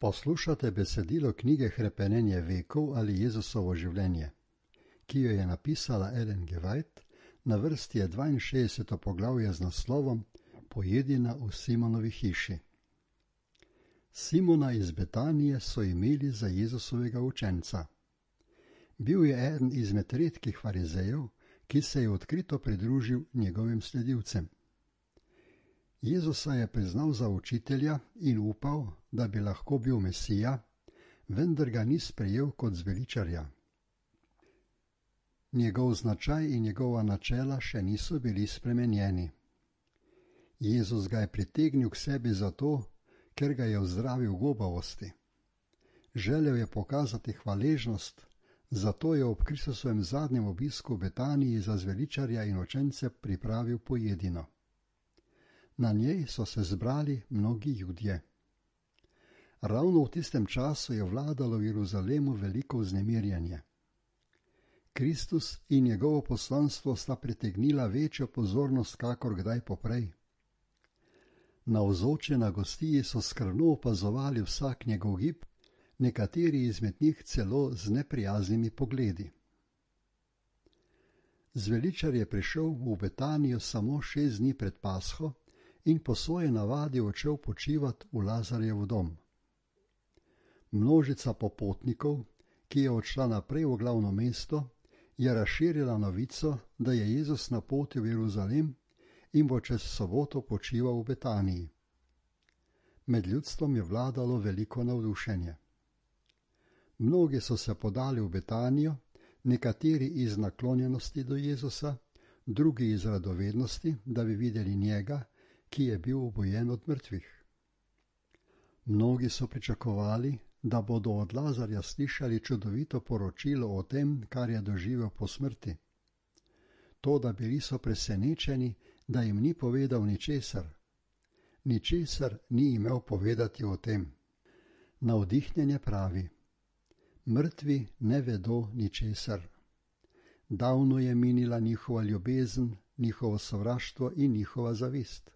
Poslušate besedilo knjige Hrepenenje vekov ali Jezusovo življenje, ki jo je napisala Ellen G. White, na vrsti je 62. poglavje z naslovom Pojedina v Simonovi hiši. Simona iz Betanije so imeli za Jezusovega učenca. Bil je eden izmed redkih farizejev, ki se je odkrito pridružil njegovim sledilcem. Jezusa je priznal za učitelja in upal, da bi lahko bil Mesija, vendar ga ni sprejel kot zveličarja. Njegov značaj in njegova načela še niso bili spremenjeni. Jezus ga je pritegnil k sebi zato, ker ga je ozdravil gobavosti. Želel je pokazati hvaležnost, zato je ob Kristusovem zadnjem obisku v Betaniji za zveličarja in učence pripravil pojedino. Na njej so se zbrali mnogi Judje. Ravno v tistem času je vladalo v Jeruzalemu veliko vznemirjanje. Kristus in njegovo poslanstvo sta pritegnila večjo pozornost kakor kdaj poprej. Navzoči na gostiji so skrbno opazovali vsak njegov gib, nekateri izmed njih celo z neprijaznimi pogledi. Zveličar je prišel v Betanijo samo 6 dni pred Pasho in po svoji navadi odšel počivat v Lazarjev dom. Množica popotnikov, ki je odšla naprej v glavno mesto, je razširila novico, da je Jezus na poti v Jeruzalem in bo čez soboto počival v Betaniji. Med ljudstvom je vladalo veliko navdušenje. Mnogi so se podali v Betanijo, nekateri iz naklonjenosti do Jezusa, drugi iz radovednosti, da bi videli njega, ki je bil obojen od mrtvih. Mnogi so pričakovali, da bodo od Lazarja slišali čudovito poročilo o tem, kar je doživel po smrti. Toda bili so presenečeni, da jim ni povedal ničesar. Ničesar ni imel povedati o tem. Navdihnjenje pravi: mrtvi ne vedo ničesar. Davno je minila njihova ljubezen, njihovo sovraštvo in njihova zavist.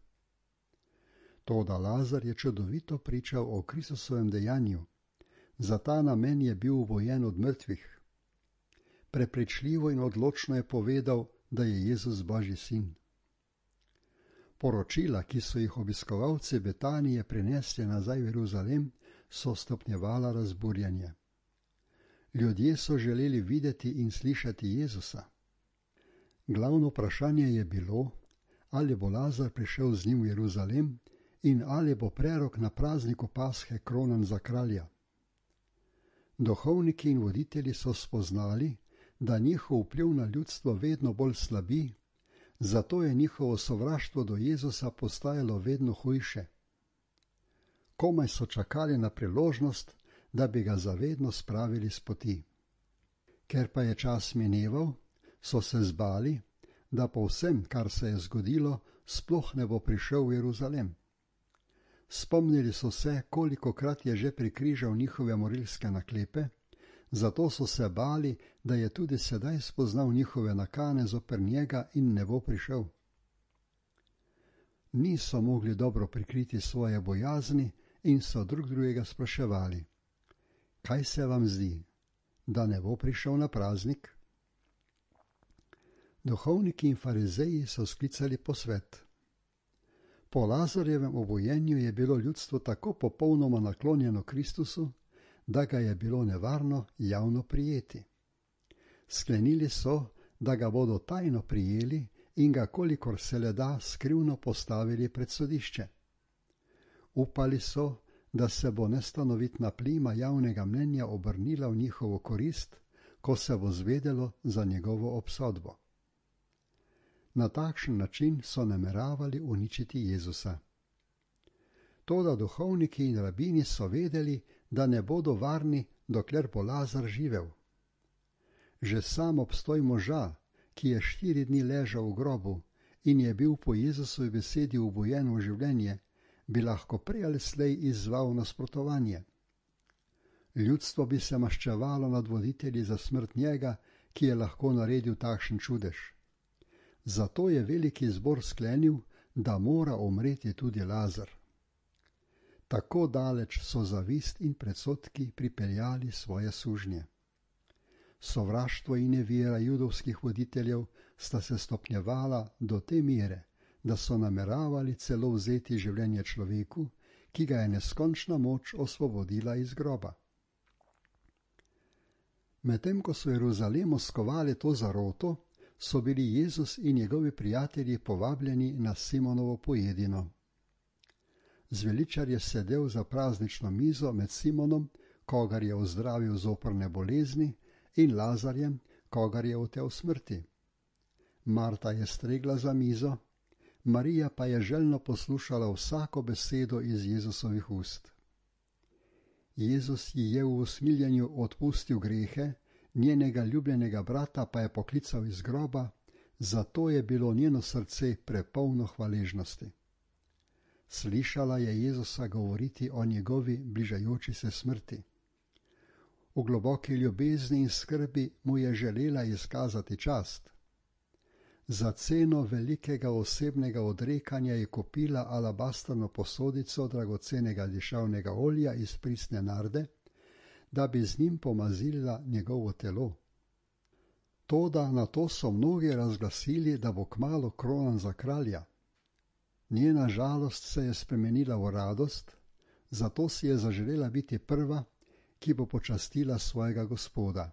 Toda Lazar je čudovito pričal o Kristusovem dejanju. Za ta namen je bil obojen od mrtvih. Prepričljivo in odločno je povedal, da je Jezus Božji sin. Poročila, ki so jih obiskovalci Betanije prinesli nazaj v Jeruzalem, so stopnjevala razburjanje. Ljudje so želeli videti in slišati Jezusa. Glavno vprašanje je bilo, ali bo Lazar prišel z njim v Jeruzalem in ali bo prerok na prazniku Pashe kronan za kralja. Duhovniki in voditelji so spoznali, da njihov vpliv na ljudstvo vedno bolj slabi, zato je njihovo sovraštvo do Jezusa postajalo vedno hujše. Komaj so čakali na priložnost, da bi ga zavedno spravili s poti. Ker pa je čas mineval, so se zbali, da po vsem, kar se je zgodilo, sploh ne bo prišel v Jeruzalem. Spomnili so se, kolikokrat je že prikrižal njihove morilske naklepe, zato so se bali, da je tudi sedaj spoznal njihove nakane zoper njega in ne bo prišel. Niso mogli dobro prikriti svoje bojazni in so drug drugega spraševali: kaj se vam zdi, da ne bo prišel na praznik? Duhovniki in farizeji so sklicali posvet. Po Lazarjevem obojenju je bilo ljudstvo tako popolnoma naklonjeno Kristusu, da ga je bilo nevarno javno prijeti. Sklenili so, da ga bodo tajno prijeli in ga, kolikor se le da, skrivno postavili pred sodišče. Upali so, da se bo nestanovitna plima javnega mnenja obrnila v njihovo korist, ko se bo zvedelo za njegovo obsodbo. Na takšen način so nameravali uničiti Jezusa. Toda duhovniki in rabini so vedeli, da ne bodo varni, dokler bo Lazar živel. Že sam obstoj moža, ki je 4 dni ležal v grobu in je bil po Jezusovi besedi obojen v življenje, bi lahko prej ali slej izzval nasprotovanje. Ljudstvo bi se maščevalo nad voditelji za smrt njega, ki je lahko naredil takšen čudež. Zato je veliki zbor sklenil, da mora umreti tudi Lazar. Tako daleč so zavist in predsodki pripeljali svoje sužnje. Sovraštvo in nevera judovskih voditeljev sta se stopnjevala do te mere, da so nameravali celo vzeti življenje človeku, ki ga je neskončna moč osvobodila iz groba. Medtem ko so v Jeruzalemu skovali to zaroto, so bili Jezus in njegovi prijatelji povabljeni na Simonovo pojedino. Zveličar je sedel za praznično mizo med Simonom, kogar je ozdravil z oprne bolezni, in Lazarjem, kogar je otel smrti. Marta je stregla za mizo, Marija pa je željno poslušala vsako besedo iz Jezusovih ust. Jezus ji je v usmiljenju odpustil grehe, njenega ljubljenega brata pa je poklical iz groba, zato je bilo njeno srce prepolno hvaležnosti. Slišala je Jezusa govoriti o njegovi bližajoči se smrti. V globoki ljubezni in skrbi mu je želela izkazati čast. Za ceno velikega osebnega odrekanja je kupila alabastrno posodico dragocenega dišavnega olja iz pristne narde, da bi z njim pomazila njegovo telo. Toda na to so mnogi razglasili, da bo kmalu kronan za kralja. Njena žalost se je spremenila v radost, zato si je zaželela biti prva, ki bo počastila svojega Gospoda.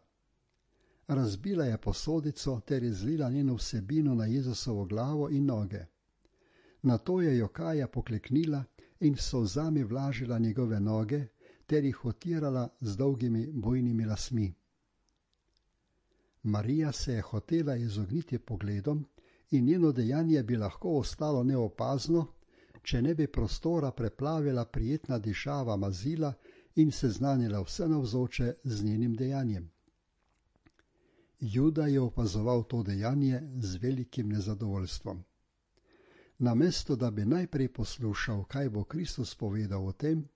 Razbila je posodico ter izlila njeno vsebino na Jezusovo glavo in noge. Nato je jokaja pokleknila in s solzami vlažila njegove noge ter jih otirala z dolgimi bujnimi lasmi. Marija se je hotela izogniti pogledom in njeno dejanje bi lahko ostalo neopazno, če ne bi prostora preplavila prijetna dišava mazila in seznanila vse navzoče z njenim dejanjem. Juda je opazoval to dejanje z velikim nezadovoljstvom. Namesto da bi najprej poslušal, kaj bo Kristus povedal o tem,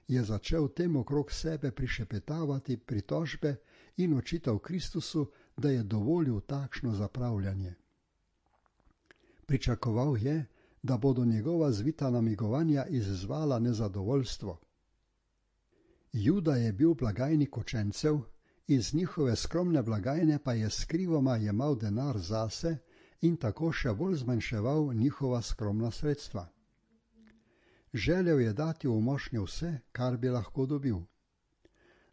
je začel tem okrog sebe prišepetavati pritožbe in očital Kristusu, da je dovolil takšno zapravljanje. Pričakoval je, da bodo njegova zvita namigovanja izzvala nezadovoljstvo. Juda je bil blagajnik učencev, iz njihove skromne blagajne pa je skrivoma jemal denar zase in tako še bolj zmanjševal njihova skromna sredstva. Želel je dati v mošnjo vse, kar bi lahko dobil.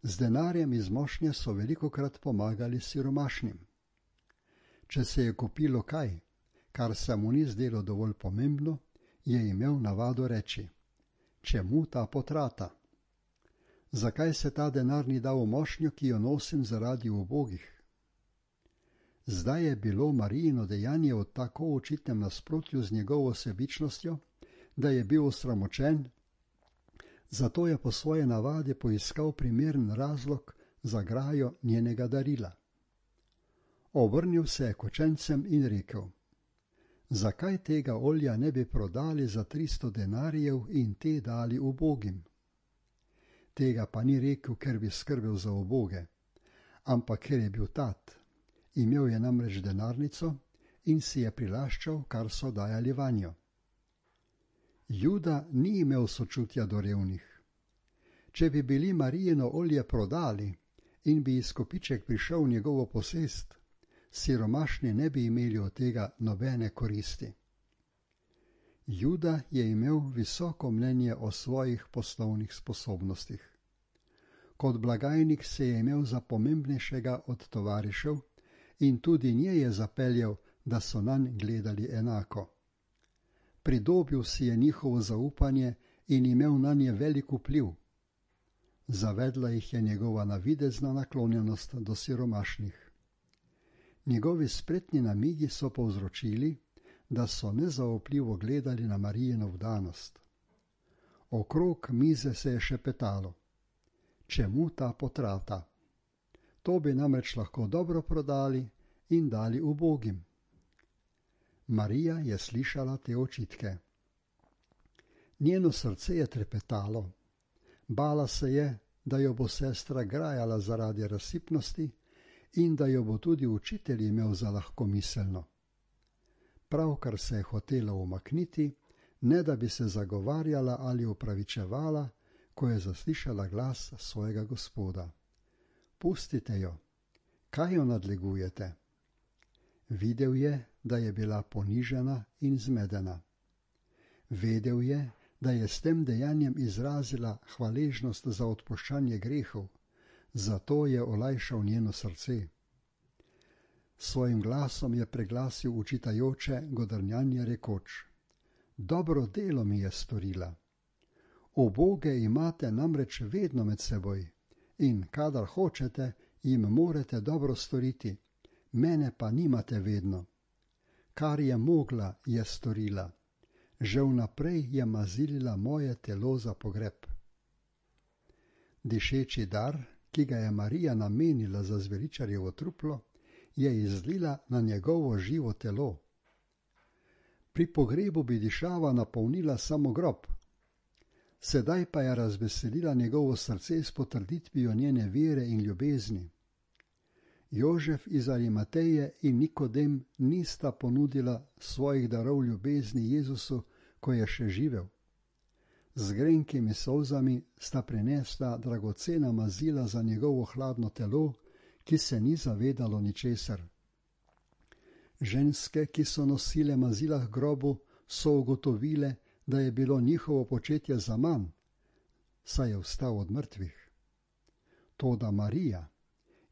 Z denarjem iz mošnje so velikokrat pomagali siromašnim. Če se je kupilo kaj, kar se mu ni zdelo dovolj pomembno, je imel navado reči: čemu ta potrata? Zakaj se ta denar ni dal v mošnjo, ki jo nosim zaradi ubogih? Zdaj je bilo Marijino dejanje v tako očitnem nasprotju z njegovo sebičnostjo, da je bil osramočen, zato je po svoje navadi poiskal primeren razlog za grajo njenega darila. Obrnil se je k učencem in rekel: zakaj tega olja ne bi prodali za 300 denarjev in te dali ubogim? Tega pa ni rekel, ker bi skrbel za uboge, ampak ker je bil tat. Imel je namreč denarnico in si je prilaščal, kar so dajali vanjo. Juda ni imel sočutja do revnih. Če bi bili Marijino olje prodali in bi izkupiček prišel v njegovo posest, siromašni ne bi imeli od tega nobene koristi. Juda je imel visoko mnenje o svojih poslovnih sposobnostih. Kot blagajnik se je imel za pomembnejšega od tovarišev in tudi nje je zapeljal, da so nanj gledali enako. Pridobil si je njihovo zaupanje in imel nanje velik vpliv. Zavedla jih je njegova navidezna naklonjenost do siromašnih. Njegovi spretni namigi so povzročili, da so nezaupljivo gledali na Marijino vdanost. Okrog mize se je šepetalo: čemu ta potrata? To bi namreč lahko dobro prodali in dali ubogim. Marija je slišala te očitke. Njeno srce je trepetalo. Bala se je, da jo bo sestra grajala zaradi razsipnosti in da jo bo tudi učitelj imel za lahkomiselno. Pravkar se je hotela umakniti, ne da bi se zagovarjala ali opravičevala, ko je zaslišala glas svojega Gospoda. Pustite jo, kaj jo nadlegujete? Videl je, da je bila ponižena in zmedena. Vedel je, da je s tem dejanjem izrazila hvaležnost za odpuščanje grehov, zato je olajšal njeno srce. Svojim glasom je preglasil učitajoče godrnjanje rekoč: Dobro delo mi je storila. Uboge imate namreč vedno med seboj in kadar hočete, jim morete dobro storiti, mene pa nimate vedno. Kar je mogla, je storila. Že vnaprej je mazilila moje telo za pogreb. Dišeči dar, ki ga je Marija namenila za zveličarjevo truplo, je izlila na njegovo živo telo. Pri pogrebu bi dišava napolnila samo grob. Sedaj pa je razveselila njegovo srce s potrditvijo njene vere in ljubezni. Jožef iz Arimateje in Nikodem nista ponudila svojih darov ljubezni Jezusu, ko je še živel. Z grenkimi solzami sta prinesla dragocena mazila za njegovo hladno telo, ki se ni zavedalo ničesar. Ženske, ki so nosile mazila k grobu, so ugotovile, da je bilo njihovo početje zaman, saj je vstal od mrtvih. Toda Marija,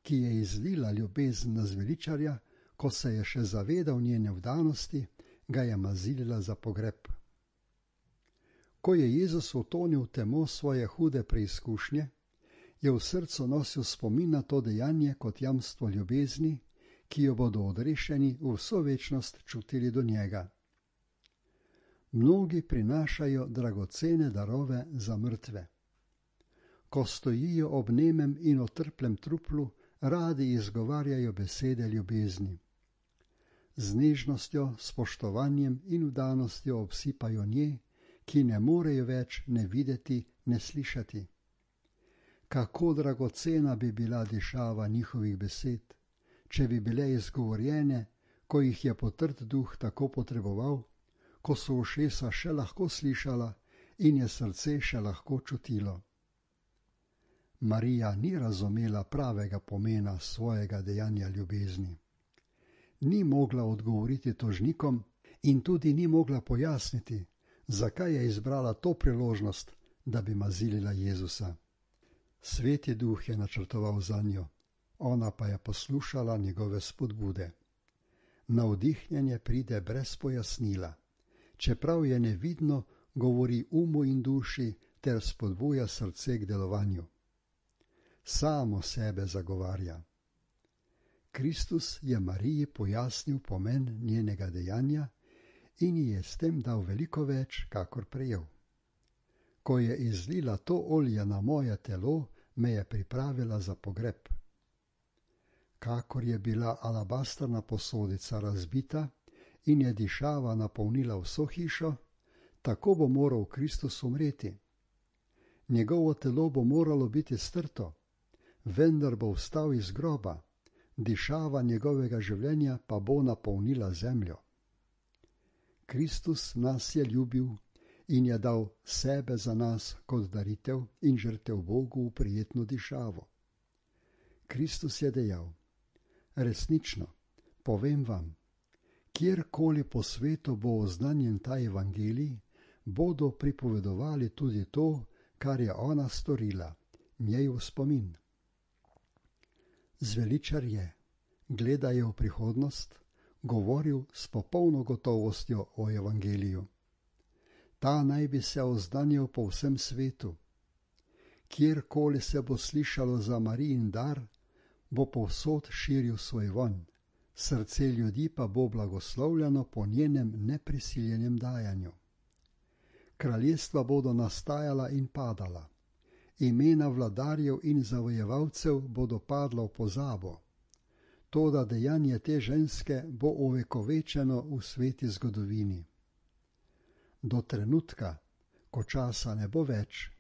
ki je izlila ljubezen na zveličarja, ko se je še zavedal njene vdanosti, ga je mazilila za pogreb. Ko je Jezus utonil v temo svoje hude preizkušnje, je v srcu nosil spomin na to dejanje kot jamstvo ljubezni, ki jo bodo odrešeni v vso večnost čutili do njega. Mnogi prinašajo dragocene darove za mrtve. Ko stojijo ob nemem in otrplem truplu, radi izgovarjajo besede ljubezni. Z nežnostjo, spoštovanjem in vdanostjo obsipajo nje, ki ne morejo več ne videti, ne slišati. Kako dragocena bi bila dišava njihovih besed, če bi bile izgovorjene, ko jih je potrd duh tako potreboval, ko so ušesa še lahko slišala in je srce še lahko čutilo. Marija ni razumela pravega pomena svojega dejanja ljubezni. Ni mogla odgovoriti tožnikom in tudi ni mogla pojasniti, zakaj je izbrala to priložnost, da bi mazilila Jezusa. Sveti duh je načrtoval zanjo, ona pa je poslušala njegove spodbude. Navdihnjenje pride brez pojasnila, čeprav je nevidno, govori umu in duši ter spodbuja srce k delovanju. Samo sebe zagovarja. Kristus je Mariji pojasnil pomen njenega dejanja in ji je s tem dal veliko več, kakor prejel. Ko je izlila to olje na moje telo, me je pripravila za pogreb. Kakor je bila alabastrna posodica razbita in je dišava napolnila vso hišo, tako bo moral Kristus umreti. Njegovo telo bo moralo biti strto, vendar bo vstal iz groba, dišava njegovega življenja pa bo napolnila zemljo. Kristus nas je ljubil in je dal sebe za nas kot daritev in žrtev Bogu v prijetno dišavo. Kristus je dejal: resnično, povem vam, kjerkoli po svetu bo oznanjen ta evangelij, bodo pripovedovali tudi to, kar je ona storila, njej v spomin. Zveličar je, gledaje v prihodnost, govoril s popolno gotovostjo o evangeliju. Ta naj bi se oznanjal po vsem svetu. Kjerkoli se bo slišalo za Marijin dar, bo povsod širil svoj vonj, srce ljudi pa bo blagoslovljeno po njenem neprisiljenem dajanju. Kraljestva bodo nastajala in padala, imena vladarjev in zavojevalcev bodo padla v pozabo. Toda dejanje te ženske bo ovekovečeno v sveti zgodovini. Do trenutka, ko časa ne bo več,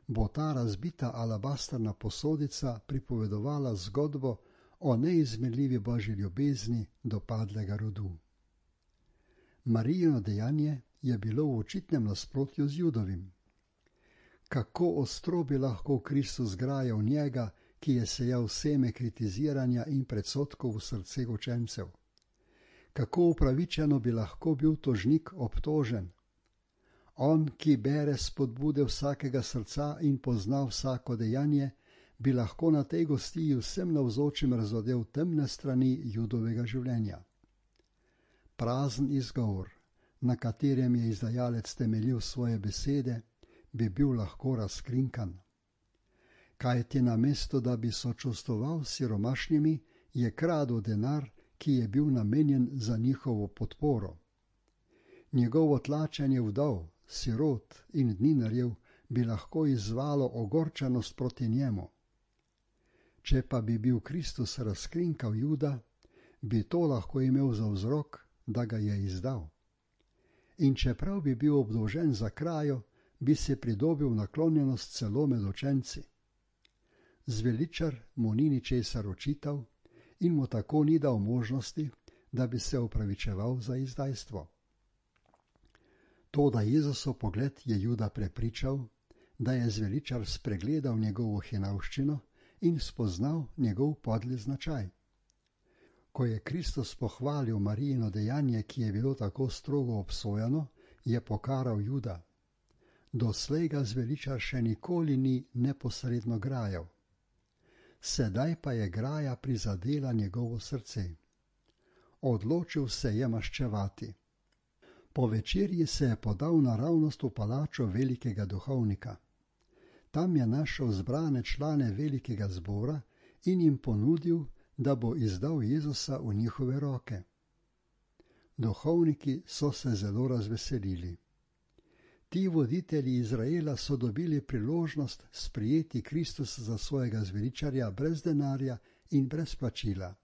bo ta razbita alabastrna posodica pripovedovala zgodbo o neizmerljivi Božji ljubezni do padlega rodu. Marijino dejanje je bilo v očitnem nasprotju z Judovim. Kako ostro bi lahko Kristus grajal njega, ki je sejal seme kritiziranja in predsodkov v srce učencev. Kako upravičeno bi lahko bil tožnik obtožen. On, ki bere spodbude vsakega srca in pozna vsako dejanje, bi lahko na tej gostiji vsem navzočim razodel temne strani Judovega življenja. Prazen izgovor, na katerem je izdajalec temeljil svoje besede, bi bil lahko razkrinkan. Kajti namesto, da bi sočustvoval s siromašnimi, je kradel denar, ki je bil namenjen za njihovo podporo. Njegovo tlačenje vdov, sirot in dninarjev bi lahko izzvalo ogorčenost proti njemu. Če pa bi bil Kristus razkrinkal Juda, bi to lahko imel za vzrok, da ga je izdal. In čeprav bi bil obdolžen za krajo, bi se pridobil naklonjenost celo med učenci. Zveličar mu ni ničesar očital in mu tako ni dal možnosti, da bi se opravičeval za izdajstvo. Toda Jezusov pogled je Juda prepričal, da je zveličar spregledal njegovo hinavščino in spoznal njegov podli značaj. Ko je Kristus pohvalil Marijino dejanje, ki je bilo tako strogo obsojeno, je pokaral Juda. Doslej ga zveličar še nikoli ni neposredno grajal. Sedaj pa je graja prizadela njegovo srce. Odločil se je maščevati. Po večerji se je podal naravnost v palačo velikega duhovnika. Tam je našel zbrane člane velikega zbora in jim ponudil, da bo izdal Jezusa v njihove roke. Duhovniki so se zelo razveselili. Ti voditelji Izraela so dobili priložnost sprijeti Kristusa za svojega zveličarja brez denarja in brez plačila.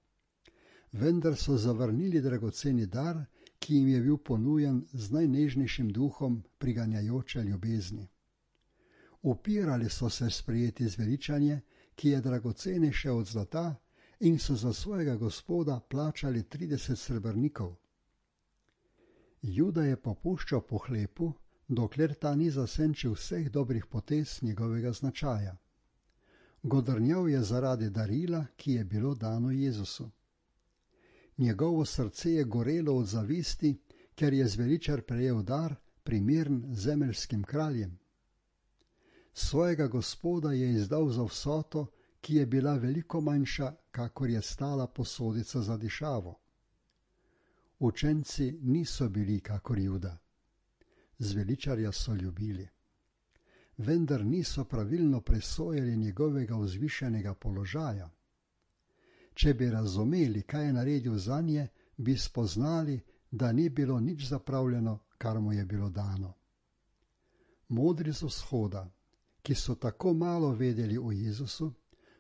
Vendar so zavrnili dragoceni dar, ki jim je bil ponujen z najnežnejšim duhom priganjajoče ljubezni. Upirali so se sprijeti zveličanje, ki je dragocenejše od zlata, in so za svojega gospoda plačali 30 srebrnikov. Juda je popuščal po hlepu, dokler ta ni zasenčil vseh dobrih potez njegovega značaja. Godrnjal je zaradi darila, ki je bilo dano Jezusu. Njegovo srce je gorelo od zavisti, ker je zveličar prejel dar, primern zemeljskim kraljem. Svojega gospoda je izdal za vsoto, ki je bila veliko manjša, kakor je stala posodica za dišavo. Učenci niso bili kakor Juda. Zveličarja so ljubili. Vendar niso pravilno presojali njegovega vzvišenega položaja. Če bi razumeli, kaj je naredil zanje, bi spoznali, da ni bilo nič zapravljeno, kar mu je bilo dano. Modri z vzhoda, ki so tako malo vedeli o Jezusu,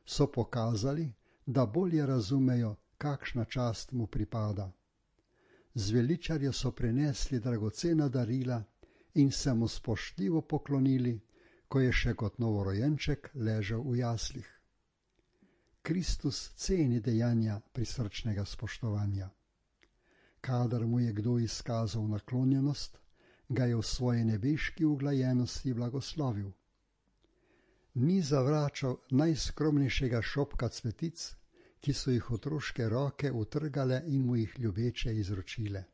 so pokazali, da bolje razumejo, kakšna čast mu pripada. Zveličarju so prinesli dragocena darila in se mu spoštljivo poklonili, ko je še kot novorojenček ležal v jaslih. Kristus ceni dejanja prisrčnega spoštovanja. Kadar mu je kdo izkazal naklonjenost, ga je v svoji nebeški uglajenosti blagoslovil. Ni zavračal najskromnejšega šopka cvetic, ki so jih otroške roke utrgale in mu jih ljubeče izročile.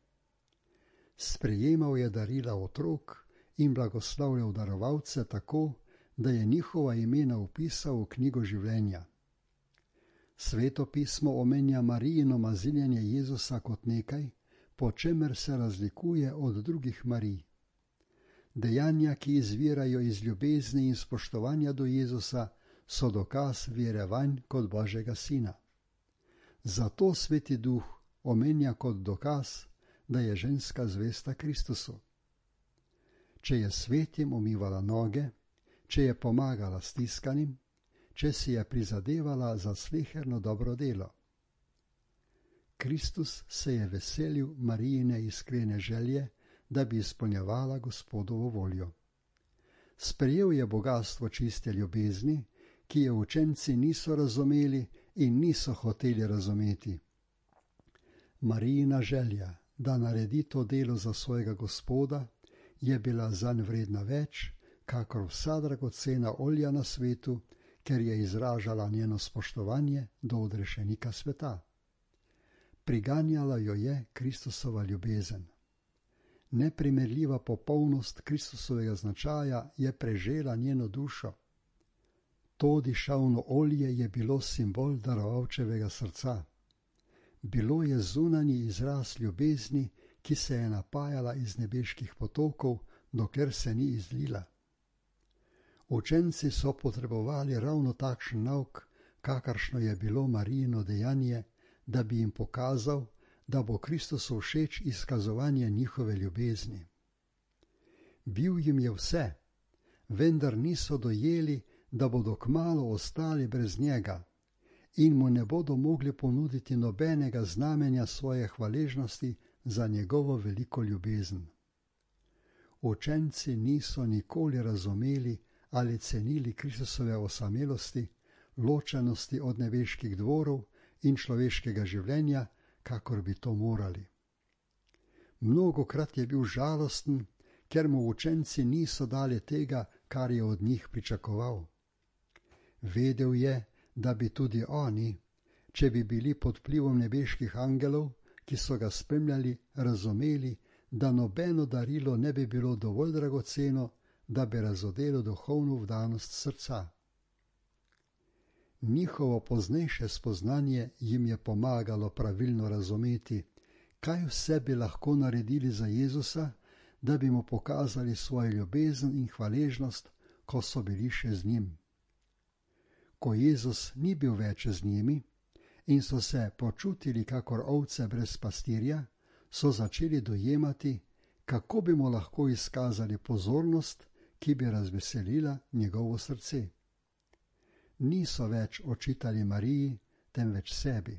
Sprejemal je darila otrok in blagoslavljal darovalce tako, da je njihova imena vpisal v knjigo življenja. Sveto pismo omenja Marijino maziljenje Jezusa kot nekaj, po čemer se razlikuje od drugih Marij. Dejanja, ki izvirajo iz ljubezni in spoštovanja do Jezusa, so dokaz vere vanj kot Božjega Sina. Zato Sveti Duh omenja kot dokaz, da je ženska zvesta Kristusu. Če je svetim umivala noge, če je pomagala stiskanim, če si je prizadevala za sleherno dobro delo. Kristus se je veselil Marijine iskrene želje, da bi izpolnjevala Gospodovo voljo. Sprejel je bogastvo čiste ljubezni, ki je učenci niso razumeli in niso hoteli razumeti. Marijina želja, da naredi to delo za svojega Gospoda, je bila zanj vredna več, kakor vsa dragocena olja na svetu, ker je izražala njeno spoštovanje do odrešenika sveta. Priganjala jo je Kristusova ljubezen. Neprimerljiva popolnost Kristusovega značaja je prežela njeno dušo. To dišavno olje je bilo simbol darovalčevega srca. Bilo je zunanji izraz ljubezni, ki se je napajala iz nebeških potokov, dokler se ni izlila. Učenci so potrebovali ravno takšen nauk, kakršno je bilo Marijino dejanje, da bi jim pokazal, da bo Kristusu všeč izkazovanje njihove ljubezni. Bil jim je vse, vendar niso dojeli, da bodo kmalu ostali brez njega in mu ne bodo mogli ponuditi nobenega znamenja svoje hvaležnosti za njegovo veliko ljubezen. Učenci niso nikoli razumeli ali cenili Kristusove osamelosti, ločenosti od nebeških dvorov in človeškega življenja, kakor bi to morali. Mnogokrat je bil žalosten, ker mu učenci niso dali tega, kar je od njih pričakoval. Vedel je, da bi tudi oni, če bi bili pod vplivom nebeških angelov, ki so ga spremljali, razumeli, da nobeno darilo ne bi bilo dovolj dragoceno, da bi razodelo duhovno vdanost srca. Njihovo poznejše spoznanje jim je pomagalo pravilno razumeti, kaj vse bi lahko naredili za Jezusa, da bi mu pokazali svojo ljubezen in hvaležnost, ko so bili še z njim. Ko Jezus ni bil več z njimi in so se počutili kakor ovce brez pastirja, so začeli dojemati, kako bi mu lahko izkazali pozornost, ki bi razveselila njegovo srce. Niso več očitali Mariji, temveč sebi.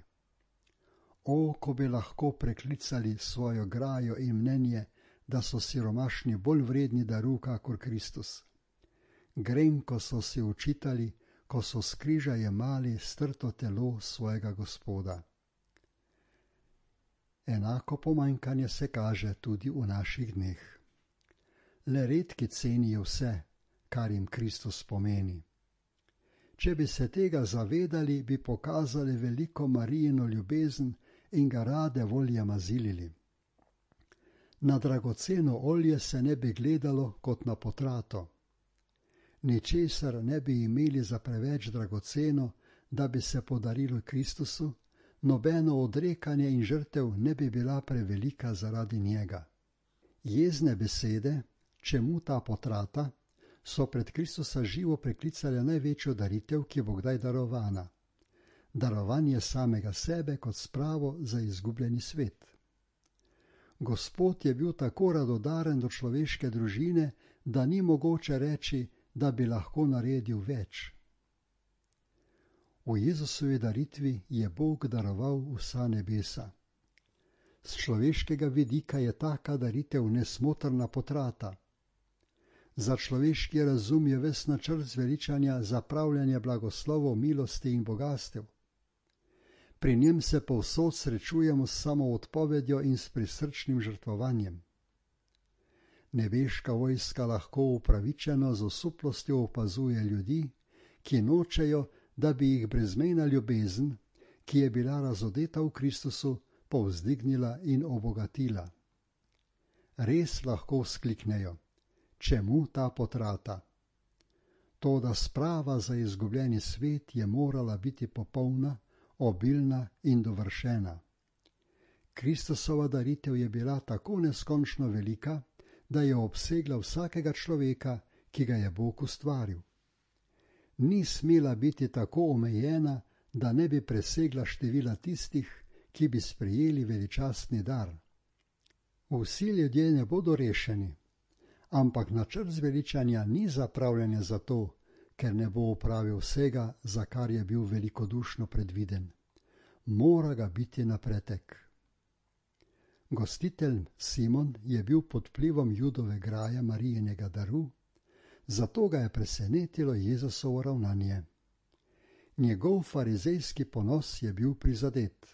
O, ko bi lahko preklicali svojo grajo in mnenje, da so siromašni bolj vredni daru kakor Kristus. Grenko so si očitali, ko so s križa jemali strto telo svojega Gospoda. Enako pomanjkanje se kaže tudi v naših dneh. Le redki cenijo vse, kar jim Kristus pomeni. Če bi se tega zavedali, bi pokazali veliko Marijino ljubezen in ga rade volje mazilili. Na dragoceno olje se ne bi gledalo kot na potrato. Ničesar ne bi imeli za preveč dragoceno, da bi se podarilo Kristusu, nobeno odrekanje in žrtev ne bi bila prevelika zaradi njega. Jezne besede, čemu ta potrata, so pred Kristusa živo preklicale največjo daritev, ki bo kdaj darovana. Darovanje samega sebe kot spravo za izgubljeni svet. Gospod je bil tako radodaren do človeške družine, da ni mogoče reči, da bi lahko naredil več. V Jezusovi daritvi je Bog daroval vsa nebesa. Z človeškega vidika je taka daritev nesmotrna potrata. Za človeški razum je ves načrt zveličanja zapravljanje blagoslovov, milosti in bogastev. Pri njem se povsod srečujemo s samoodpovedjo in s prisrčnim žrtvovanjem. Nebeška vojska lahko upravičeno z osuplostjo opazuje ljudi, ki nočejo, da bi jih brezmejna ljubezen, ki je bila razodeta v Kristusu, povzdignila in obogatila. Res lahko vzkliknejo, čemu ta potrata? Toda sprava za izgubljeni svet je morala biti popolna, obilna in dovršena. Kristusova daritev je bila tako neskončno velika, da je obsegla vsakega človeka, ki ga je Bog ustvaril. Ni smela biti tako omejena, da ne bi presegla števila tistih, ki bi sprejeli veličastni dar. Vsi ljudje ne bodo rešeni, ampak načrt zveličanja ni zapravljanje zato, ker ne bo opravil vsega, za kar je bil velikodušno predviden. Mora ga biti na pretek. Gostitelj Simon je bil pod vplivom Judove graje Marijinega daru, zato ga je presenetilo Jezusovo ravnanje. Njegov farizejski ponos je bil prizadet.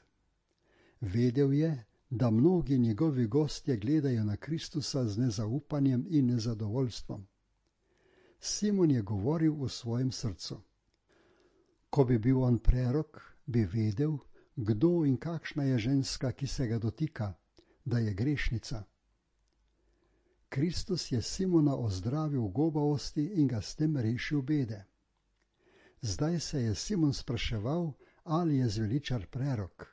Vedel je, da mnogi njegovi gostje gledajo na Kristusa z nezaupanjem in nezadovoljstvom. Simon je govoril v svojem srcu. Ko bi bil on prerok, bi vedel, kdo in kakšna je ženska, ki se ga dotika, da je grešnica. Kristus je Simona ozdravil gobavosti in ga s tem rešil bede. Zdaj se je Simon spraševal, ali je zveličar prerok.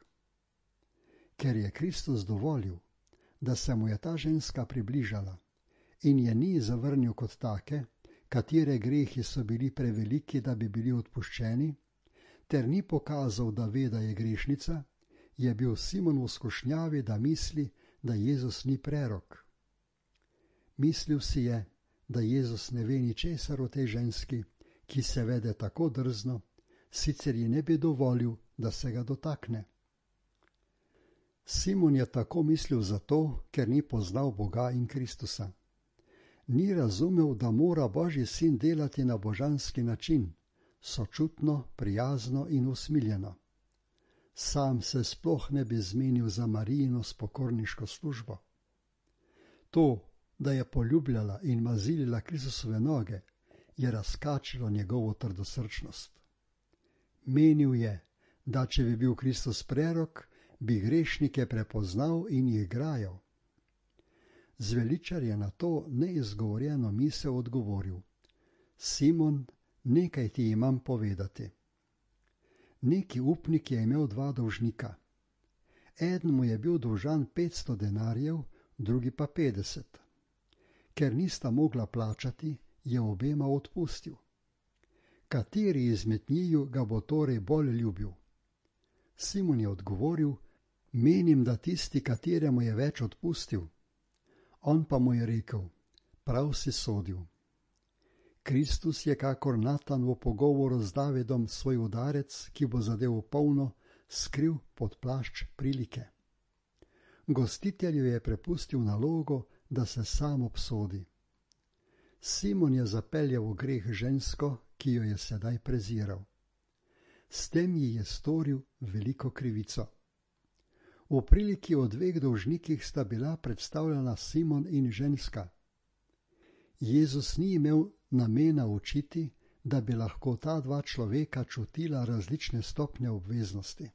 Ker je Kristus dovolil, da se mu je ta ženska približala in je ni zavrnil kot take, katere grehi so bili preveliki, da bi bili odpuščeni, ter ni pokazal, da ve, da je grešnica, je bil Simon v skušnjavi, da misli, da Jezus ni prerok. Mislil si je, da Jezus ne ve ničesar o tej ženski, ki se vede tako drzno, sicer ji ne bi dovolil, da se ga dotakne. Simon je tako mislil zato, ker ni poznal Boga in Kristusa. Ni razumel, da mora Božji sin delati na božanski način, sočutno, prijazno in usmiljeno. Sam se sploh ne bi zmenil za Marijino spokorniško službo. To, da je poljubljala in mazilila Kristusove noge, je razkačilo njegovo trdosrčnost. Menil je, da če bi bil Kristus prerok, bi grešnike prepoznal in jih grajal. Zveličar je na to neizgovorjeno misel odgovoril: Simon, nekaj ti imam povedati. Neki upnik je imel 2 dolžnika. Eden mu je bil dolžan 500 denarjev, drugi pa 50. Ker nista mogla plačati, je obema odpustil. Kateri izmed njiju ga bo torej bolj ljubil? Simon je odgovoril: menim, da tisti, kateremu je več odpustil. On pa mu je rekel: prav si sodil. Kristus je kakor Natan v pogovoru z Davidom svoj udarec, ki bo zadev v polno, skril pod plašč prilike. Gostitelju je prepustil nalogo, da se sam obsodi. Simon je zapeljal v greh žensko, ki jo je sedaj preziral. S tem ji je storil veliko krivico. V priliki o 2 dolžnikih sta bila predstavljena Simon in ženska. Jezus ni imel namena učiti, da bi lahko ta 2 človeka čutila različne stopnje obveznosti.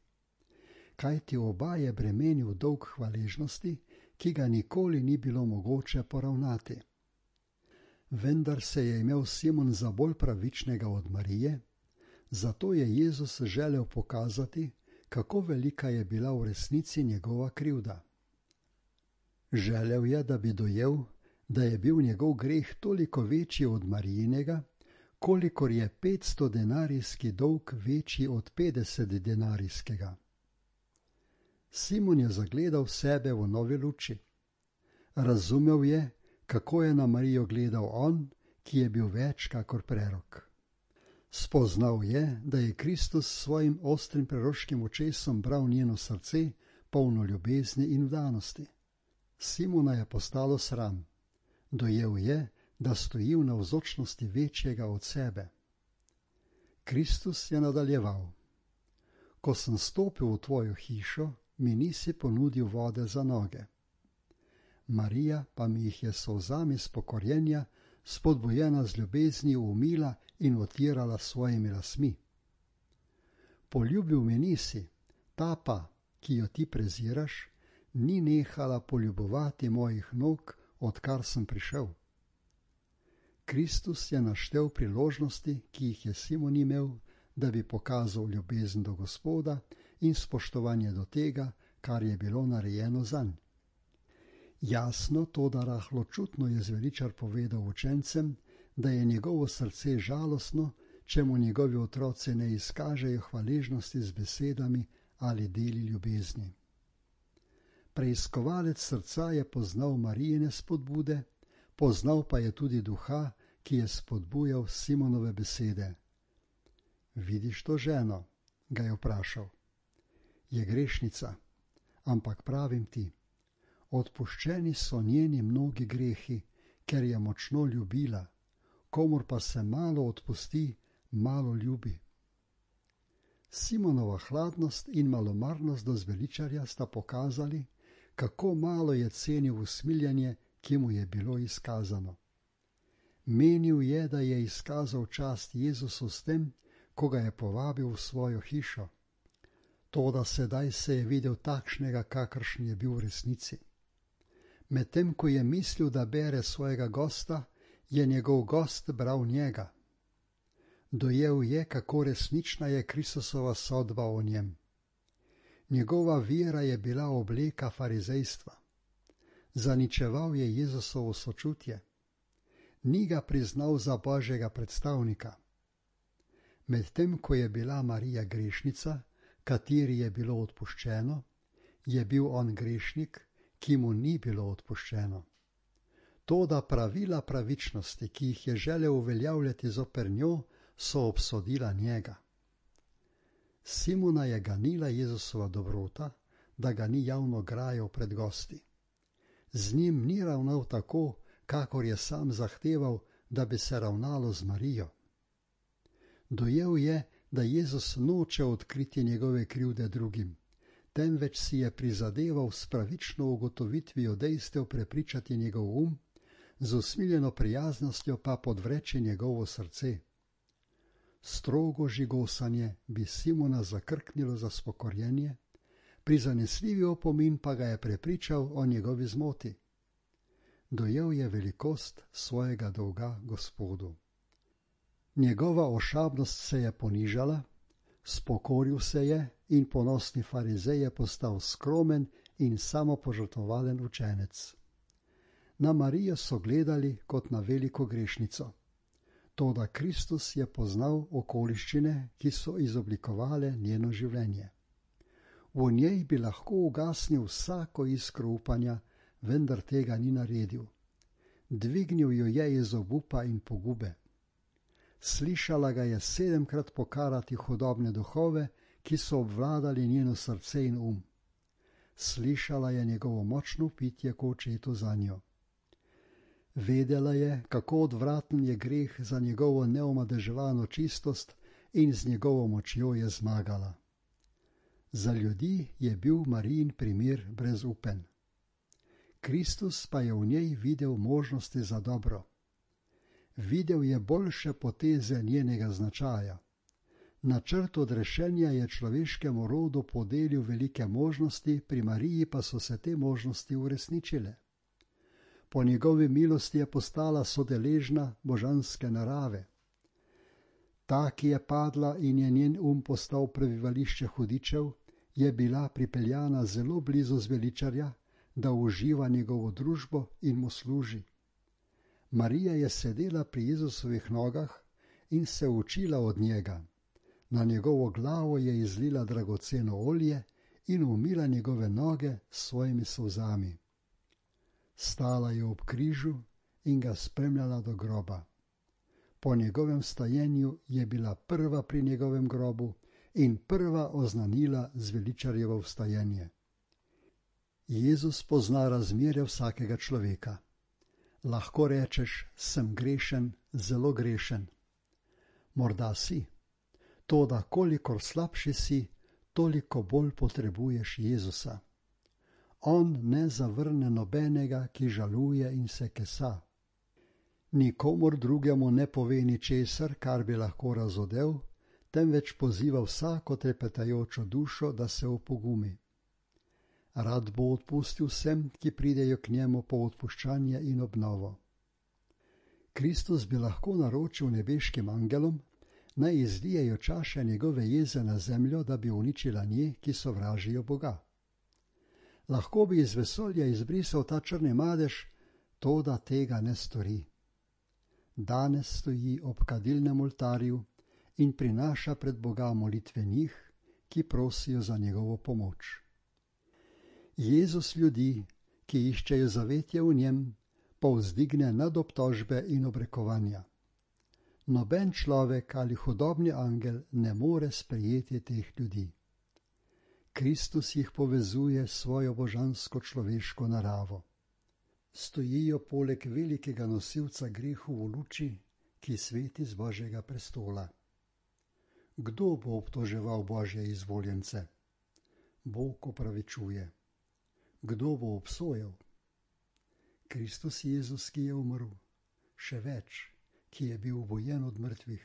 Kajti oba je bremenil dolg hvaležnosti, ki ga nikoli ni bilo mogoče poravnati. Vendar se je imel Simon za bolj pravičnega od Marije, zato je Jezus želel pokazati, kako velika je bila v resnici njegova krivda. Želel je, da bi dojel, da je bil njegov greh toliko večji od Marijinega, kolikor je 500 denarijski dolg večji od 50 denarijskega. Simon je zagledal sebe v novi luči. Razumel je, kako je na Marijo gledal on, ki je bil več kakor prerok. Spoznal je, da je Kristus s svojim ostrim preroškim očesom bral njeno srce, polno ljubezni in vdanosti. Simona je postalo sram. Dojel je, da stoji v navzočnosti večjega od sebe. Kristus je nadaljeval: ko sem stopil v tvojo hišo, mi nisi ponudil vode za noge. Marija pa mi jih je s solzami spokorjenja, spodbujena z ljubeznijo, umila in otirala svojimi lasmi. Poljubil me nisi, ta pa, ki jo ti preziraš, ni nehala poljubovati mojih nog, odkar sem prišel. Kristus je naštel priložnosti, ki jih je Simon imel, da bi pokazal ljubezen do Gospoda in spoštovanje do tega, kar je bilo narejeno zanj. Jasno, toda rahločutno je zveličar povedal učencem, da je njegovo srce žalostno, če mu njegovi otroci ne izkažejo hvaležnosti z besedami ali deli ljubezni. Preiskovalec srca je poznal Marijine spodbude, poznal pa je tudi duha, ki je spodbujal Simonove besede. Vidiš to ženo? Ga je vprašal. Je grešnica, ampak pravim ti, odpuščeni so njeni mnogi grehi, ker je močno ljubila, komur pa se malo odpusti, malo ljubi. Simonova hladnost in malomarnost do zveličarja sta pokazali, kako malo je cenil usmiljenje, ki mu je bilo izkazano. Menil je, da je izkazal čast Jezusu s tem, ko ga je povabil v svojo hišo. Toda sedaj se je videl takšnega, kakršen je bil v resnici. Medtem ko je mislil, da bere svojega gosta, je njegov gost bral njega. Dojel je, kako resnična je Kristusova sodba o njem. Njegova vera je bila obleka farizejstva. Zaničeval je Jezusovo sočutje. Ni ga priznal za Božjega predstavnika. Medtem ko je bila Marija grešnica, kateri je bilo odpuščeno, je bil on grešnik, ki mu ni bilo odpuščeno. Toda pravila pravičnosti, ki jih je želel uveljavljati zoper njo, so obsodila njega. Simona je ganila Jezusova dobrota, da ga ni javno grajal pred gosti. Z njim ni ravnal tako, kakor je sam zahteval, da bi se ravnalo z Marijo. Dojel je, da Jezus noče odkriti njegove krivde drugim, temveč si je prizadeval s pravično ugotovitvijo dejstev prepričati njegov z usmiljeno prijaznostjo pa podvreči njegovo srce. Strogo žigosanje bi Simona zakrknilo za spokorjenje, prizanesljivi opomin pa ga je prepričal o njegovi zmoti. Dojel je velikost svojega dolga Gospodu. Njegova ošabnost se je ponižala, spokoril se je in ponosni farizej je postal skromen in samopožrtvovalen učenec. Na Marijo so gledali kot na veliko grešnico. Toda Kristus je poznal okoliščine, ki so izoblikovale njeno življenje. V njej bi lahko ugasnil vsako iskro upanja, vendar tega ni naredil. Dvignil jo je iz obupa in pogube. Slišala ga je 7-krat pokarati hudobne duhove, ki so obvladali njeno srce in Slišala je njegovo močno pitje k očetu za njo. Vedela je, kako odvraten je greh za njegovo neomadeževano čistost in z njegovo močjo je zmagala. Za ljudi je bil Marijin primer brezupen. Kristus pa je v njej videl možnosti za dobro. Videl je boljše poteze njenega značaja. Načrt odrešenja je človeškemu rodu podelil velike možnosti, pri Mariji pa so se te možnosti uresničile. Po njegovi milosti je postala sodeležna božanske narave. Ta, ki je padla in je njen postal prebivališče hudičev, je bila pripeljana zelo blizu zveličarja, da uživa njegovo družbo in mu služi. Marija je sedela pri Jezusovih nogah in se učila od njega. Na njegovo glavo je izlila dragoceno olje in umila njegove noge s svojimi solzami. Stala je ob križu in ga spremljala do groba. Po njegovem stajenju je bila prva pri njegovem grobu in prva oznanila zveličarjevo vstajenje. Jezus pozna razmerje vsakega človeka. Lahko rečeš, sem grešen, zelo grešen. Morda si. Toda kolikor slabši si, toliko bolj potrebuješ Jezusa. On ne zavrne nobenega, ki žaluje in se kesa. Nikomur drugemu ne pove ničesar, kar bi lahko razodel, temveč poziva vsako trepetajočo dušo, da se opogumi. Rad bo odpustil vsem, ki pridejo k njemu po odpuščanje in obnovo. Kristus bi lahko naročil nebeškim angelom, naj izlijejo čaše njegove jeze na zemljo, da bi uničila nje, ki sovražijo Boga. Lahko bi iz vesolja izbrisal ta črni madež, toda tega ne stori. Danes stoji ob kadilnem oltarju in prinaša pred Boga molitve njih, ki prosijo za njegovo pomoč. Jezus ljudi, ki iščejo zavetje v njem, povzdigne nad obtožbe in obrekovanja. Noben človek ali hudobni angel ne more sprejeti teh ljudi. Kristus jih povezuje s svojo božansko človeško naravo. Stojijo poleg velikega nosilca grehu v luči, ki sveti z Božjega prestola. Kdo bo obtoževal Božje izvoljence? Bog opravičuje. Kdo bo obsojal? Kristus Jezus, ki je umrl. Še več, ki je bil obojen od mrtvih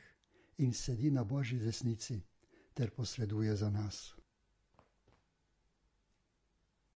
in sedi na Božji desnici ter posreduje za nas.